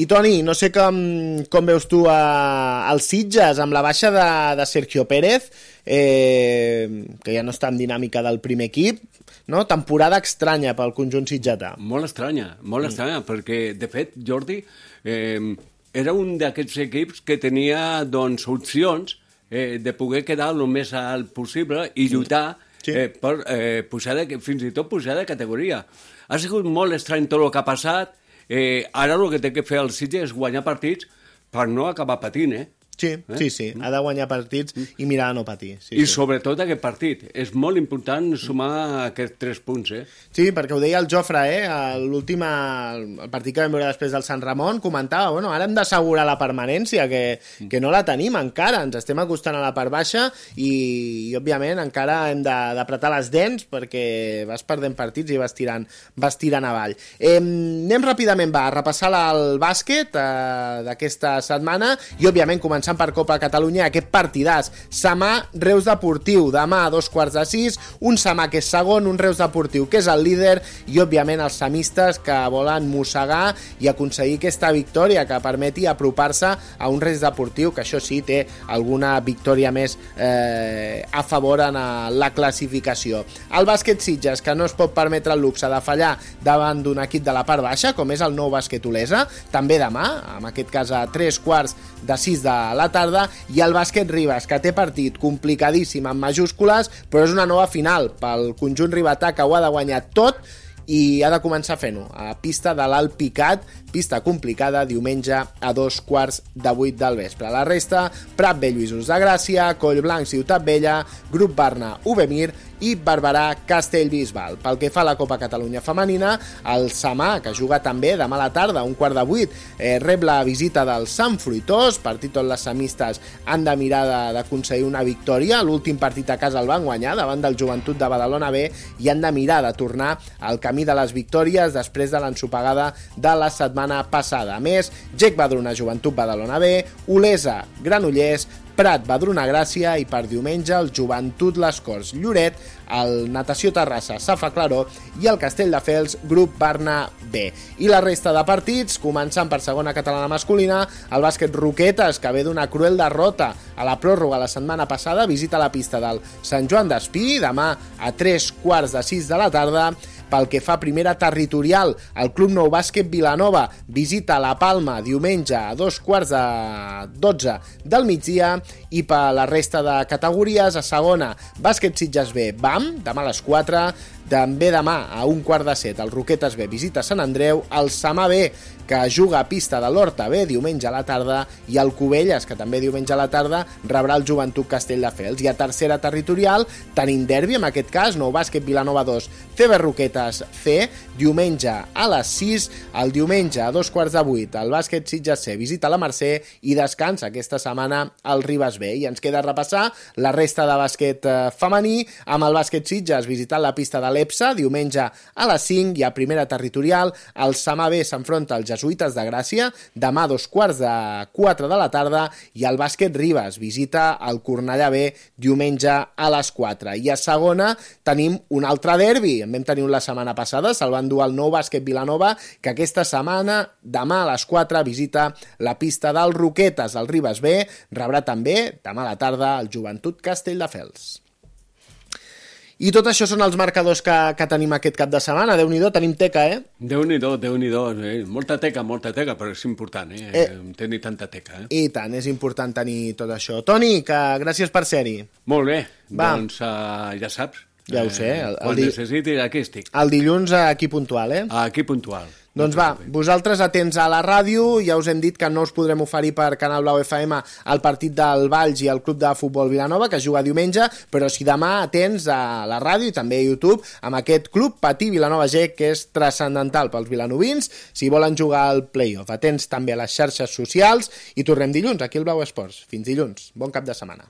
I Toni, no sé com veus tu els Sitges amb la baixa de Sergio Pérez, que ja no està en dinàmica del primer equip, no? Temporada estranya pel conjunt sitgetà. Molt estranya, perquè de fet Jordi era un d'aquests equips que tenia doncs opcions de poder quedar el més alt possible i lluitar per pujar fins i tot pujar de categoria. Ha sigut molt estrany tot el que ha passat. Ara el que té que fer el Sitges és guanyar partits per no acabar patint, Sí, ha de guanyar partits i mirar a no patir. I sobretot aquest partit. És molt important sumar aquests 3 punts, Sí, perquè ho deia el Jofre, l'últim partit que vam veure després del Sant Ramon, comentava, ara hem d'assegurar la permanència, que no la tenim encara, ens estem acostant a la part baixa i òbviament, encara hem d'apretar les dents perquè vas perdent partits i vas tirant avall. Anem ràpidament, a repassar el bàsquet d'aquesta setmana i, òbviament, començar per Copa Catalunya, aquest partidàs. Samà, Reus Deportiu, demà a 5:45, un Samà que és segon, un Reus Deportiu que és el líder i, òbviament, els samistes que volen mossegar i aconseguir aquesta victòria que permeti apropar-se a un Reus Deportiu que, això sí, té alguna victòria més a favor en la classificació. El bàsquet Sitges, que no es pot permetre el luxe de fallar davant d'un equip de la part baixa, com és el Nou Bàsquet Olesa, també demà, en aquest cas a 5:45 de la tarda, i el bàsquet Ribes, que té partit complicadíssim en majúscules, però és una nova final pel conjunt ribetà que ho ha de guanyar tot i ha de començar fent-ho a pista de l'Alt Picat, pista complicada, diumenge a 7:15 del vespre. La resta, Prat Vell, Lluïsos de Gràcia, Collblanc, Ciutat Vella, Grup Barna, Uvemir i Barberà, Castellbisbal. Pel que fa a la Copa Catalunya femenina, el Samà, que juga també demà a la tarda, a 7:15, rep la visita del Sant Fruitós, partit on les samistes han de mirar d'aconseguir una victòria. L'últim partit a casa el van guanyar davant del Joventut de Badalona B i han de mirar de tornar al camí de les victòries després de l'ensopegada de la setmana passada. A més, Gec Badruna, Joventut Badalona B, Olesa, Granollers, Prat, Badruna Gràcia i per diumenge el Joventut Les Corts Lloret, el Natació Terrassa, Safa Claró i el Castelldefels, Grup Barna B. I la resta de partits, començant per segona catalana masculina, el bàsquet Roquetes, que ve d'una cruel derrota a la pròrroga la setmana passada, visita la pista del Sant Joan d'Espí, demà a 5:45 de la tarda. Pel que fa a primera territorial, el Club Nou Bàsquet Vilanova visita la Palma diumenge a 2:15 del migdia i per la resta de categories, a segona, Bàsquet Sitges B, BAM, demà a les 4, també demà a 1:15 el Roquetes B visita Sant Andreu, el Samà B, que juga a pista de l'Horta B diumenge a la tarda, i el Cubelles, que també diumenge a la tarda rebrà el Joventut Castelldefels. I a tercera territorial tenim derbi, en aquest cas, Nou Bàsquet Vilanova 2, CB Roquetes C, diumenge a les 6, el diumenge a 7:15 el bàsquet Sitges C visita la Mercè i descansa aquesta setmana el Ribes B. I ens queda repassar la resta de bàsquet femení, amb el bàsquet Sitges visitant la pista de l'EPSA diumenge a les 5, i a primera territorial el Samà B s'enfronta als Jesuïtes de Gràcia demà a 3:45 de la tarda, i el bàsquet Ribes visita el Cornellà B diumenge a les 4. I a segona tenim un altre derbi, en vam tenir la setmana passada, se'l van dur al Nou Bàsquet Vilanova, que aquesta setmana, demà a les 4, visita la pista del Roquetes. El Ribes B rebrà també, demà a la tarda, el Joventut Castelldefels. I tot això són els marcadors que tenim aquest cap de setmana. Déu-n'hi-do, tenim teca, Déu-n'hi-do, molta teca, però és important, tenir tanta teca, I tant, és important tenir tot això. Toni, que gràcies per ser-hi. Molt bé, doncs ja saps. Ja ho sé. Quan necessitis, aquí estic. El dilluns aquí puntual, Aquí puntual. Doncs va, vosaltres atents a la ràdio, ja us hem dit que no us podrem oferir per Canal Blau FM el partit del Valls i el Club de Futbol Vilanova, que juga diumenge, però si demà atents a la ràdio i també a YouTube amb aquest Club Patí Vilanova G, que és transcendental pels vilanovins si volen jugar al play-off. Atents també a les xarxes socials i tornem dilluns aquí al Blau Esports. Fins dilluns, bon cap de setmana.